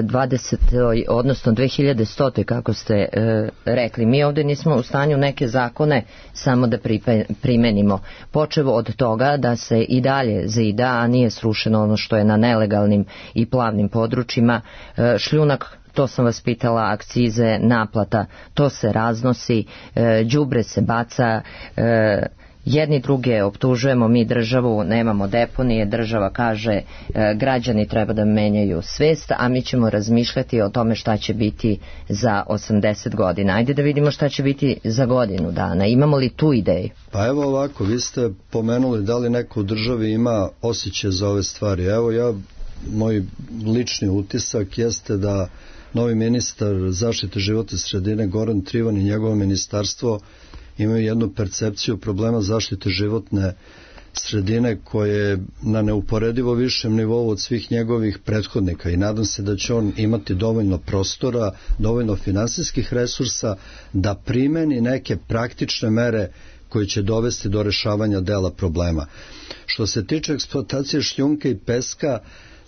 dvadesetoj odnosno dve hiljade stotoj kako ste e, rekli? Mi ovde nismo u stanju neke zakone samo da primenimo. Počevo od toga da se i dalje zida, a nije srušeno ono što je na nelegalnim i plavnim područjima. E, šljunak, to sam vas pitala, akcize, naplata, to se raznosi, e, đubre se baca, e, jedni druge optužujemo, mi državu, nemamo deponije, država kaže e, građani treba da menjaju svest, a mi ćemo razmišljati o tome šta će biti za osamdeset godina. Ajde da vidimo šta će biti za godinu dana. Imamo li tu ideju? Pa evo ovako, vi ste pomenuli da li neko u državi ima osjećaj za ove stvari. Evo ja, moj lični utisak jeste da novi ministar zaštite životne sredine Goran Trivan i njegovo ministarstvo imaju jednu percepciju problema zaštite životne sredine koje je na neuporedivo višem nivou od svih njegovih prethodnika i nadam se da će on imati dovoljno prostora, dovoljno finansijskih resursa da primeni neke praktične mere koje će dovesti do rešavanja dela problema. Što se tiče eksploatacije šljunka i peska,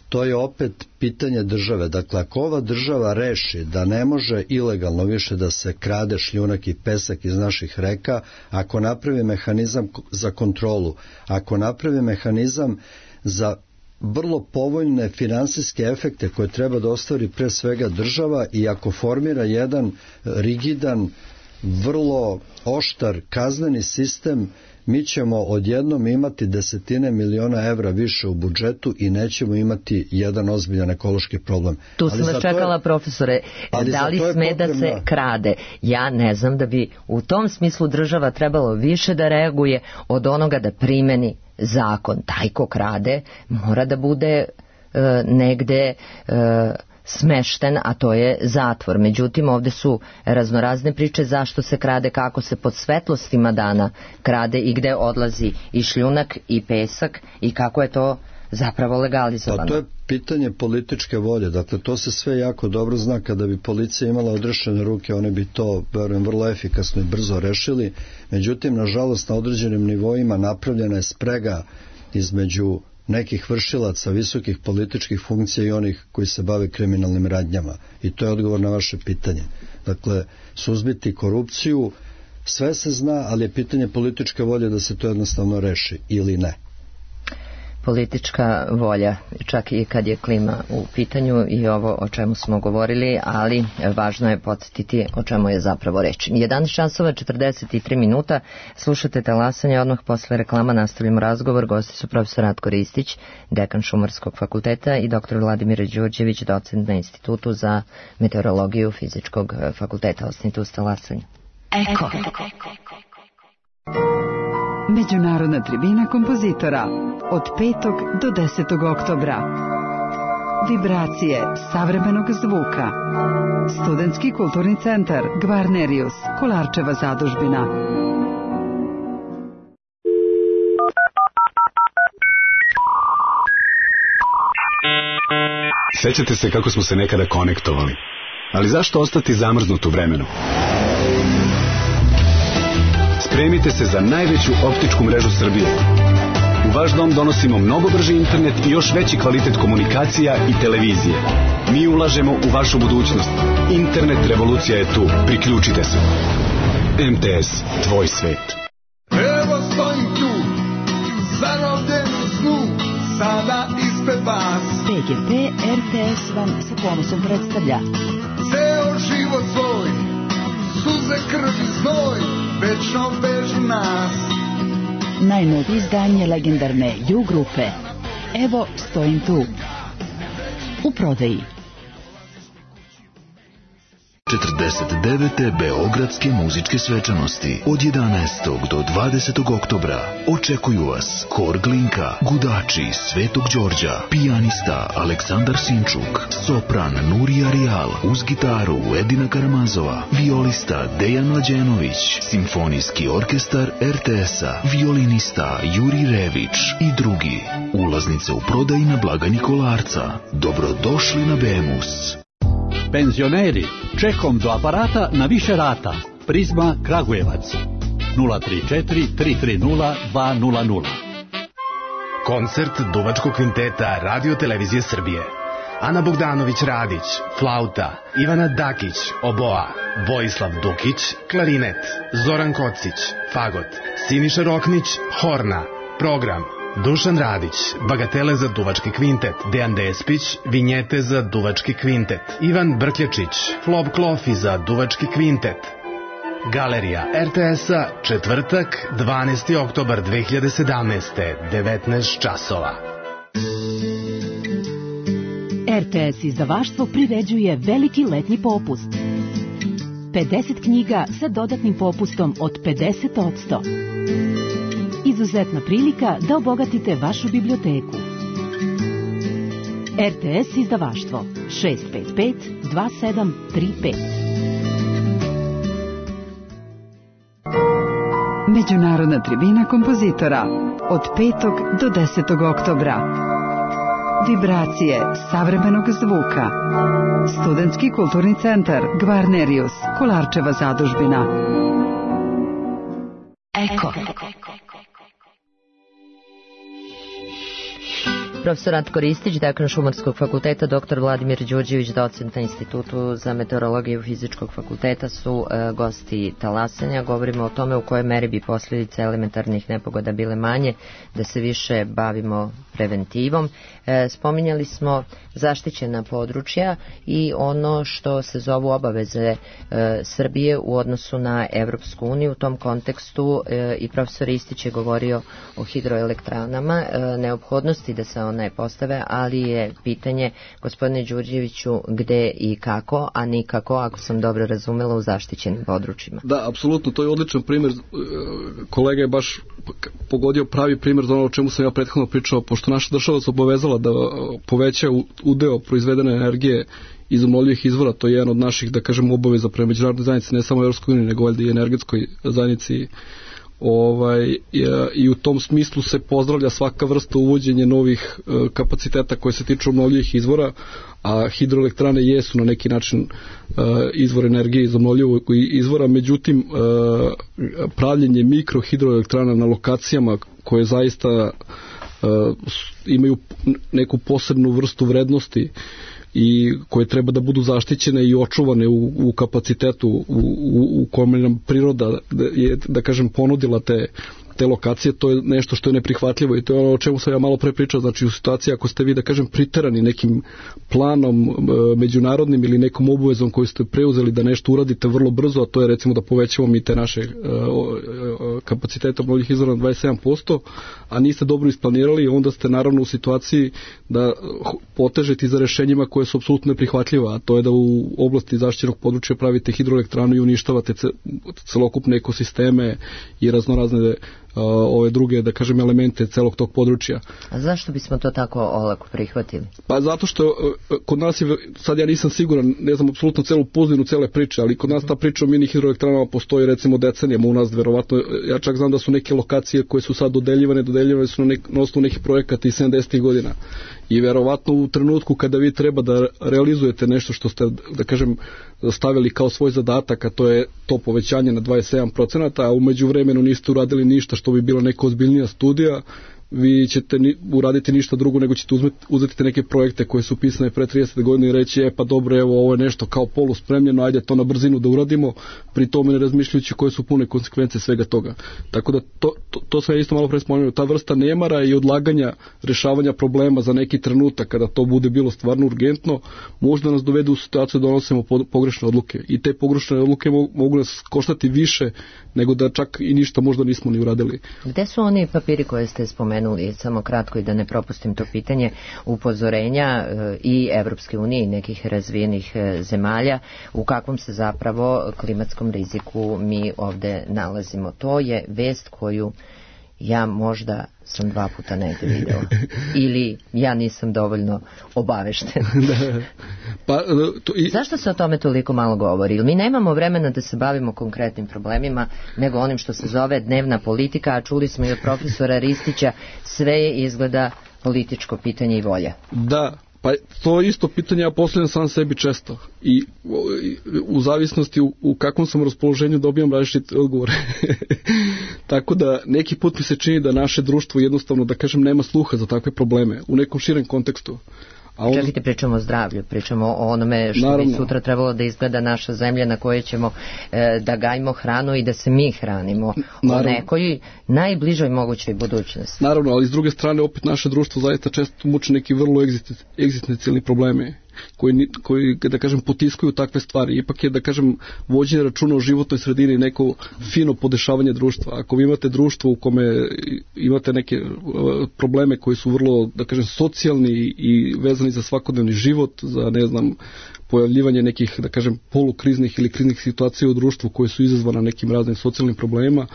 to je opet pitanje države. Dakle, ako ova država reši da ne može ilegalno više da se krade šljunak i pesak iz naših reka, ako napravi mehanizam za kontrolu, ako napravi mehanizam za vrlo povoljne finansijske efekte koje treba da ostvari pre svega država i ako formira jedan rigidan, vrlo oštar kazneni sistem, mi ćemo odjednom imati desetine miliona evra više u budžetu i nećemo imati jedan ozbiljan ekološki problem. Tu sam vas čekala, je, profesore, da li sme potrebna... da se krade? Ja ne znam da bi u tom smislu država trebalo više da reaguje od onoga da primeni zakon. Taj ko krade mora da bude uh, negde... Uh, smešten, a to je zatvor. Međutim, ovde su raznorazne priče zašto se krade, kako se pod svetlostima dana krade i gde odlazi i šljunak i pesak i kako je to zapravo legalizovano. Pa to je pitanje političke volje. Dakle, to se sve jako dobro zna. Kada bi policija imala odrešene ruke, one bi to, verujem, vrlo efikasno i brzo rešili. Međutim, nažalost, na određenim nivoima napravljena je sprega između nekih vršilaca visokih političkih funkcija i onih koji se bave kriminalnim radnjama. I to je odgovor na vaše pitanje. Dakle, suzbiti korupciju, sve se zna, ali je pitanje političke volje da se to jednostavno reši ili ne. Politička volja, čak i kad je klima u pitanju i ovo o čemu smo govorili, ali važno je podsjetiti o čemu je zapravo reč. jedanaest časova četrdeset tri minuta, slušate Talasanje, odmah posle reklama nastavljamo razgovor. Gosti su profesor Ratko Ristić, dekan Šumarskog fakulteta i doktor Vladimir Đurđević, docent na Institutu za meteorologiju Fizičkog fakulteta. Ostanite uz Talasanje. Eko. Međunarodna tribina kompozitora od petog do desetog oktobra. Vibracije savremenog zvuka. Studentski kulturni centar Gvarnerius, Kolarčeva zadužbina. Sećate se kako smo se nekada konektovali, ali zašto ostati zamrznut u vremenu? Spremite se za najveću optičku mrežu Srbije. U vaš dom donosimo mnogo brži internet i još veći kvalitet komunikacija i televizije. Mi ulažemo u vašu budućnost. Internet revolucija je tu. Priključite se. M T S, tvoj svet. Evo stojim tu, zarobljen u snu, sada ispred vas. P G P R T S vam sa ponosom predstavlja. Ceo život svoj, suze, krv i znoj, večno vežu nas. Najnovije izdanje legendarne U grupe. Evo stojim tu. U prodaji. četrdeset devete Beogradske muzičke svečanosti od jedanaestog do dvadesetog oktobra očekuju vas Hor Glinka, Gudači Svetog Đorđa, pijanista Aleksandar Sinčuk, sopran Nurija Rijal, uz gitaru Edina Karamazova, violista Dejan Mlađenović, simfonijski orkestar er te es-a, violinista Juri Rević i drugi. Ulaznice u prodaji na blagajni Kolarca. Dobrodošli na Bemus. Penzioneri, čekom do aparata na više rata. Prizma Kragujevac nula tri četiri tri tri nula dva nula nula. Koncert Duvačkog kvinteta Radio Televizije Srbije. Ana Bogdanović Radić, flauta, Ivana Dakić, oboa, Vojislav Dukić, klarinet, Zoran Kocić, fagot, Siniša Roknić, horna. Program: Dušan Radić, bagatele za Duvački kvintet, Dejan Despić, vinjete za Duvački kvintet, Ivan Brkljačić, Flob Klofi za Duvački kvintet. Galerija er te es-a, četvrtak, dvanaesti oktobar dve hiljade sedamnaeste, devetnaest časova. er te es izdavaštvo priređuje veliki letnji popust. pedeset knjiga sa dodatnim popustom od pedeset posto. Izuzetna prilika da obogatite vašu biblioteku. er te es izdavaštvo šest pet pet dva sedam tri pet. Međunarodna tribina kompozitora od petog do desetog oktobra. Vibracije savremenog zvuka. Studentski kulturni centar Gvarnerius, Kolarčeva zadužbina. Eko. Profesor Ratko Ristić, dekan Šumarskog fakulteta, doktor Vladimir Đurđević, docent na Institutu za meteorologiju Fizičkog fakulteta su e, gosti talasanja. Govorimo o tome u kojoj meri bi posljedice elementarnih nepogoda bile manje, da se više bavimo preventivom. E, spominjali smo zaštićena područja i ono što se zovu obaveze e, Srbije u odnosu na Evropsku uniju. U tom kontekstu e, i profesor Ristić je govorio o hidroelektranama, e, neophodnosti da se one postave, ali je pitanje, gospodine Đurđeviću, gde i kako, a nikako, ako sam dobro razumela, u zaštićenim područjima. Da, apsolutno, to je odličan primjer. Kolega je baš pogodio pravi primjer za ono o čemu sam ja prethodno pričao, pošto naša država se obavezala da poveća udeo proizvedene energije iz obnovljivih izvora. To je jedan od naših, da kažem, obaveza prema međunarodnoj zajednici, ne samo Evropskoj uniji, nego valjda i energetskoj zajednici. Ovaj, i u tom smislu se pozdravlja svaka vrsta uvođenja novih e, kapaciteta koje se tiču obnovljivih izvora, a hidroelektrane jesu na neki način e, izvor energije iz obnovljivog izvora. Međutim, e, pravljenje mikrohidroelektrana na lokacijama koje zaista e, imaju neku posebnu vrstu vrednosti i koje treba da budu zaštićene i očuvane u, u kapacitetu u, u, u kome nam priroda je, da kažem, ponudila te, te lokacije, to je nešto što je neprihvatljivo i to je ono o čemu sam ja malo pre pričao. Znači, u situaciji ako ste vi, da kažem, priterani nekim planom e, međunarodnim ili nekom obavezom koju ste preuzeli da nešto uradite vrlo brzo, a to je recimo da povećamo mi te naše e, kapacitete obnovljivih izvora na dvadeset sedam posto, a niste dobro isplanirali, onda ste naravno u situaciji da potežete za rešenjima koje su apsolutno neprihvatljiva, a to je da u oblasti zaštićenog područja pravite hidroelektranu i uništavate celokupne ekosisteme i raznorazne ove druge, da kažem, elemente celog tog područja. A zašto bismo to tako olako prihvatili? Pa zato što kod nas je, sad ja nisam siguran, ne znam apsolutno celu pozadinu cele priče, ali kod nas ta priča o mini hidroelektranama postoji recimo decenijama u nas, verovatno, ja čak znam da su neke lokacije koje su sad dodeljivane, dodeljivane su na, nek, na osnovu nekih projekata iz sedamdesetih godina. I verovatno u trenutku kada vi treba da realizujete nešto što ste, da kažem, stavili kao svoj zadatak, a to je to povećanje na dvadeset sedam procenata, a umeđu vremenu niste uradili ništa što bi bila neka ozbiljnija studija, vi ćete ni, uraditi ništa drugo nego ćete uzmeti, uzeti neke projekte koje su pisane pre trideset godina i reći, e pa dobro, evo, ovo je nešto kao polu spremljeno, ajde to na brzinu da uradimo, pri tome ne razmišljajući koje su pune konsekvence svega toga. Tako da to, to, to sam ja isto malo pre spomenuo, ta vrsta nemara i odlaganja rešavanja problema za neki trenutak kada to bude bilo stvarno urgentno, možda nas dovede u situaciju da donosimo pogrešne odluke i te pogrešne odluke mogu, mogu nas koštati više nego da čak i ništa možda nismo ni uradili. Gde su oni papiri koje ste spomenuli? spomenuli, samo kratko i da ne propustim to pitanje, upozorenja i Evropske unije i nekih razvijenih zemalja u kakvom se zapravo klimatskom riziku mi ovde nalazimo. To je vest koju ja možda sam dva puta negdje video. Ili ja nisam dovoljno obavešten. Da. Pa, to i... Zašto se o tome toliko malo govori? Ili mi nemamo vremena da se bavimo konkretnim problemima, nego onim što se zove dnevna politika, a čuli smo i od profesora Ristića, sve je izgleda političko pitanje i volja. Da. Pa to isto pitanje ja postavljam sam sebi često i u zavisnosti u, u kakvom sam raspoloženju dobijam različite odgovore. Tako da neki put mi se čini da naše društvo jednostavno, da kažem, nema sluha za takve probleme u nekom širem kontekstu. A on... Čekajte, pričamo o zdravlju, pričamo o onome što Naravno. bi sutra trebalo da izgleda naša zemlja na kojoj ćemo e, da gajimo hranu i da se mi hranimo. Naravno. O nekoj najbližoj mogućoj budućnosti. Naravno, ali s druge strane opet naše društvo zaista često muči neki vrlo egzistencijalni probleme koji, koji, da kažem, potiskuju takve stvari. Ipak je, da kažem, vođenje računa o životnoj sredini neko fino podešavanje društva. Ako vi imate društvo u kome imate neke probleme koji su vrlo, da kažem, socijalni i vezani za svakodnevni život, za, ne znam, pojavljivanje nekih, da kažem, polukriznih ili kriznih situacija u društvu koje su izazvana nekim raznim socijalnim problemima,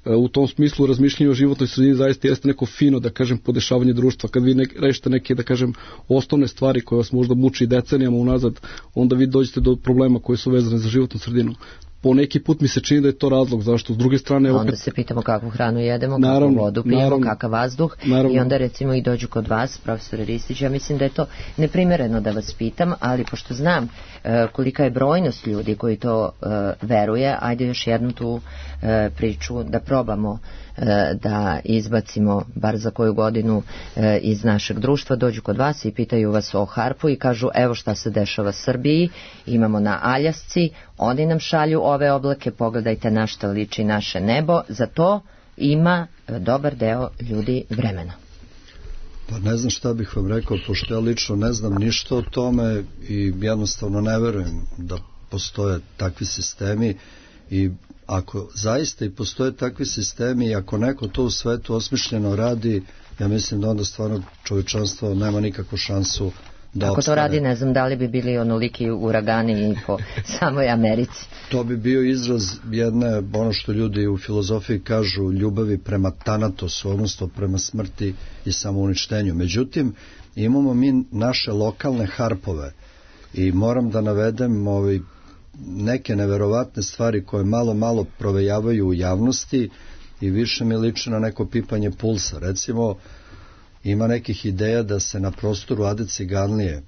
u tom smislu razmišljanje o životnoj sredini zaista jeste neko fino, da kažem, podešavanje društva. Kad vi ne, rešite neke, da kažem, osnovne stvari koje vas možda muči decenijama unazad, onda vi dođete do problema koje su vezane za životnu sredinu. Po neki put mi se čini da je to razlog, zašto s druge strane... Onda opet... se pitamo kakvu hranu jedemo, naravno, kakvu vodu pijemo, naravno, kakav vazduh, naravno. I onda recimo i dođu kod vas, profesor Ristić, ja mislim da je to neprimereno da vas pitam, ali pošto znam e, kolika je brojnost ljudi koji to e, veruje, ajde još jednu tu e, priču da probamo e, da izbacimo bar za koju godinu e, iz našeg društva, dođu kod vas i pitaju vas o harpu i kažu evo šta se dešava Srbiji, imamo na Aljasci, oni nam šalju ove oblake, pogledajte na šta liči naše nebo, za to ima dobar deo ljudi vremena. Pa ne znam šta bih vam rekao, pošto ja lično ne znam ništa o tome i jednostavno ne verujem da postoje takvi sistemi i ako zaista i postoje takvi sistemi i ako neko to u svetu osmišljeno radi, ja mislim da onda stvarno čovječanstvo nema nikakvu šansu da Ako opstane. to radi, ne znam da li bi bili onoliki uragani i po samoj Americi. To bi bio izraz jedne, ono što ljudi u filozofiji kažu, ljubavi prema Tanatosu, odnosno prema smrti i samouništenju. Međutim, imamo mi naše lokalne harpove i moram da navedem ovaj, neke neverovatne stvari koje malo, malo provejavaju u javnosti i više mi liči na neko pipanje pulsa. Recimo, ima nekih ideja da se na prostoru Ade Ciganlije,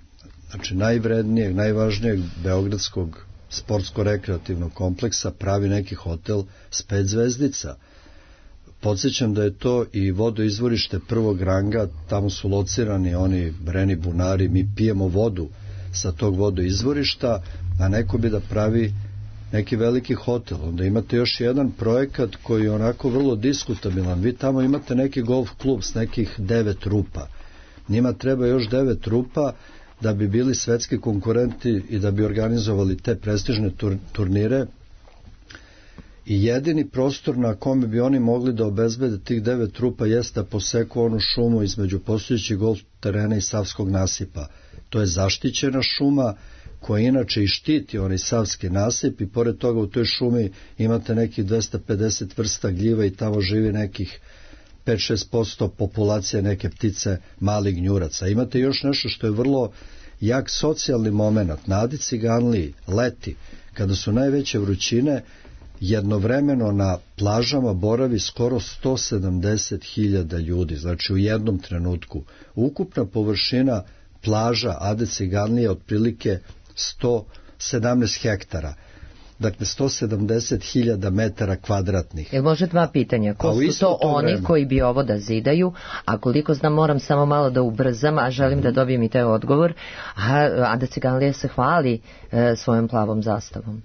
znači najvrednijeg, najvažnijeg beogradskog sportsko-rekreativnog kompleksa, pravi neki hotel s pet zvezdica. Podsjećam da je to i vodoizvorište prvog ranga, tamo su locirani oni breni bunari, mi pijemo vodu sa tog vodoizvorišta, a neko bi da pravi neki veliki hotel. Onda imate još jedan projekat koji je onako vrlo diskutabilan. Vi tamo imate neki golf klub s nekih devet rupa. Njima treba još devet rupa da bi bili svetski konkurenti i da bi organizovali te prestižne tur, turnire. I jedini prostor na kome bi oni mogli da obezbede tih devet rupa jeste da poseku onu šumu između postojećih golf terena i Savskog nasipa. To je zaštićena šuma koja inače i štiti onaj Savski nasip i pored toga u toj šumi imate nekih dvesta pedeset vrsta gljiva i tamo živi nekih pet do šest posto populacije neke ptice malih gnjuraca. Imate još nešto što je vrlo jak socijalni moment. Na Adi Ciganliji leti, kada su najveće vrućine, jednovremeno na plažama boravi skoro sto sedamdeset hiljada ljudi, znači u jednom trenutku. Ukupna površina plaža Ade Ciganlije je otprilike sto sedamnaest hektara. Dakle, sto sedamdeset hiljada metara kvadratnih. Jel može dva pitanja? Ko su to, to oni vreme? Koji bi ovo da zidaju? A koliko znam, moram samo malo da ubrzam, a želim mm. da dobijem i taj odgovor. A Ada Ciganlija se hvali e, svojom plavom zastavom.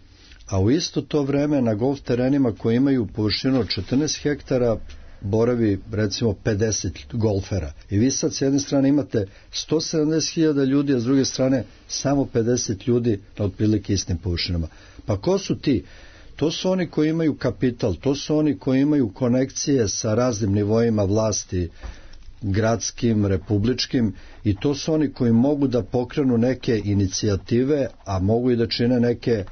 A u isto to vreme na golf terenima koji imaju površinu od četrnaest hektara boravi recimo pedeset golfera. I vi sad s jedne strane imate sto sedamdeset hiljada ljudi, a s druge strane samo pedeset ljudi na otprilike istim površinama. Pa ko su ti? To su oni koji imaju kapital, to su oni koji imaju konekcije sa raznim nivoima vlasti, gradskim, republičkim, i to su oni koji mogu da pokrenu neke inicijative, a mogu i da čine neke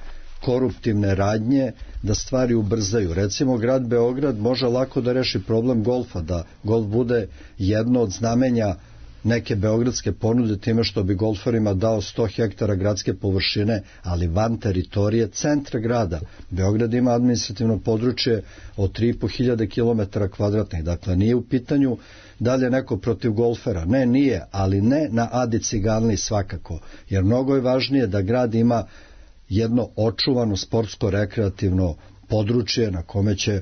koruptivne radnje da stvari ubrzaju. Recimo, grad Beograd može lako da reši problem golfa, da golf bude jedno od znamenja neke beogradske ponude time što bi golferima dao sto hektara gradske površine, ali van teritorije centra grada. Beograd ima administrativno područje od tri i po hiljade kilometara kvadratnih, dakle nije u pitanju da li je neko protiv golfera. Ne, nije, ali ne na Adi Ciganliji svakako, jer mnogo je važnije da grad ima jedno očuvano sportsko-rekreativno područje na kome će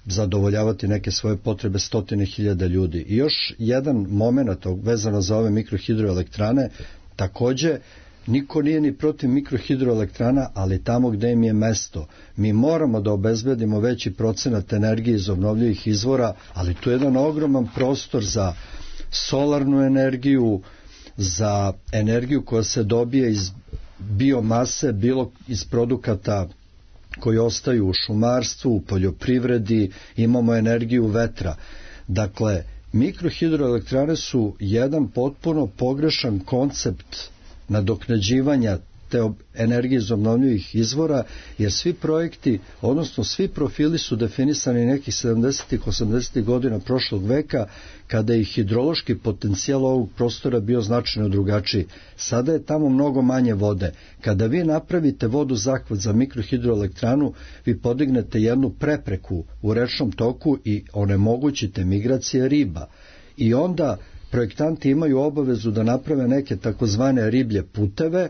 zadovoljavati neke svoje potrebe stotine hiljada ljudi. I još jedan moment vezano za ove mikrohidroelektrane, takođe niko nije ni protiv mikrohidroelektrana, ali tamo gde im je mesto. Mi moramo da obezbedimo veći procenat energije iz obnovljivih izvora, ali tu je jedan ogroman prostor za solarnu energiju, za energiju koja se dobije iz biomase, bilo iz produkata koji ostaju u šumarstvu, u poljoprivredi, imamo energiju vetra. Dakle, mikrohidroelektrane su jedan potpuno pogrešan koncept nadoknađivanja te energije iz obnovljivih izvora, jer svi projekti, odnosno svi profili su definisani nekih sedamdesetih osamdesetih godina prošlog veka, kada je hidrološki potencijal ovog prostora bio značajno drugačiji. Sada je tamo mnogo manje vode. Kada vi napravite vodu zahvat za mikrohidroelektranu, vi podignete jednu prepreku u rečnom toku i onemogućite migracije riba. I onda projektanti imaju obavezu da naprave neke takozvane riblje puteve.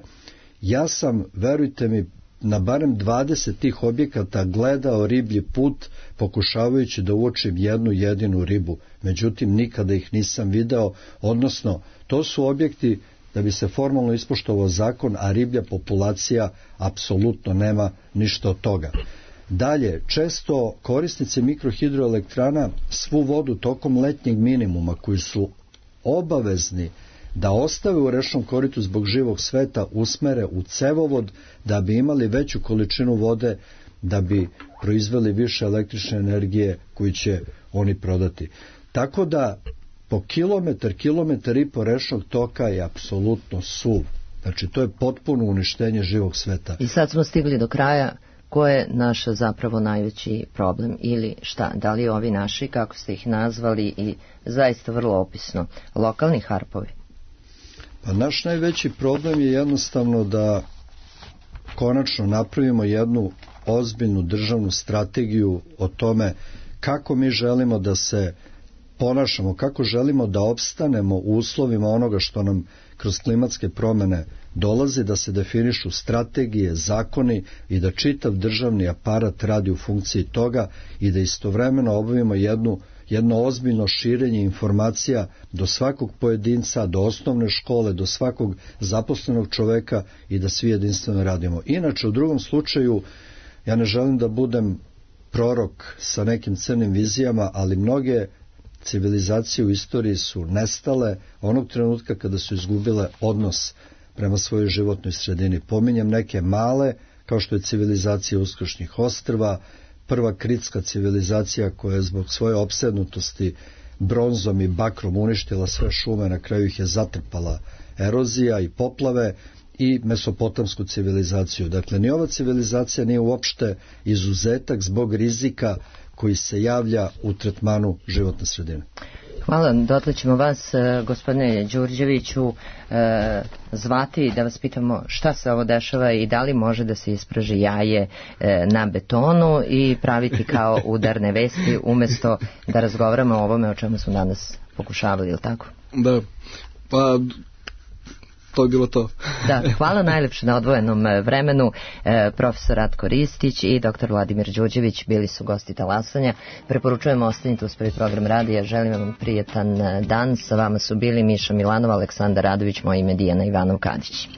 Ja sam, verujte mi, na barem dvadeset tih objekata gledao riblji put pokušavajući da uočim jednu jedinu ribu. Međutim, nikada ih nisam video, odnosno to su objekti da bi se formalno ispoštovao zakon, a riblja populacija apsolutno nema ništa od toga. Dalje, često korisnici mikrohidroelektrana svu vodu tokom letnjeg minimuma koji su obavezni da ostave u rečnom koritu zbog živog sveta usmere u cevovod da bi imali veću količinu vode, da bi proizveli više električne energije koju će oni prodati. Tako da po kilometar, kilometar i po rečnog toka je apsolutno suv. Znači to je potpuno uništenje živog sveta. I sad smo stigli do kraja. Ko je naš zapravo najveći problem ili šta? Da li ovi naši, kako ste ih nazvali, i zaista vrlo opisno, lokalni harpovi? Pa naš najveći problem je jednostavno da konačno napravimo jednu ozbiljnu državnu strategiju o tome kako mi želimo da se ponašamo, kako želimo da opstanemo u uslovima onoga što nam kroz klimatske promene dolazi, da se definišu strategije, zakoni i da čitav državni aparat radi u funkciji toga i da istovremeno obavimo jednu, jedno ozbiljno širenje informacija do svakog pojedinca, do osnovne škole, do svakog zaposlenog čoveka i da svi jedinstveno radimo. Inače, u drugom slučaju, ja ne želim da budem prorok sa nekim crnim vizijama, ali mnoge civilizacije u istoriji su nestale onog trenutka kada su izgubile odnos prema svojoj životnoj sredini. Pominjem neke male, kao što je civilizacija Uskršnjih ostrva, prva kritska civilizacija koja je zbog svoje opsednutosti bronzom i bakrom uništila sve šume, na kraju ih je zatrpala erozija i poplave, i mesopotamsku civilizaciju. Dakle, ni ova civilizacija nije uopšte izuzetak zbog rizika koji se javlja u tretmanu životne sredine. Hvala, dotle ćemo vas, gospodine Đurđeviću, zvati da vas pitamo šta se ovo dešava i da li može da se ispraži jaje na betonu i praviti kao udarne vesti umesto da razgovaramo o ovome o čemu smo danas pokušavali, ili tako? Da, pa to je bilo to. Da, hvala najlepše na odvojenom vremenu. E, profesor Ratko Ristić i doktor Vladimir Đurđević bili su gosti Talasanja. Preporučujemo ostanite uz prvi program radija. Želim vam prijetan dan. Sa vama su bili Miša Milanova, Aleksandar Radović, moje ime Dijana Ivanov Kadić.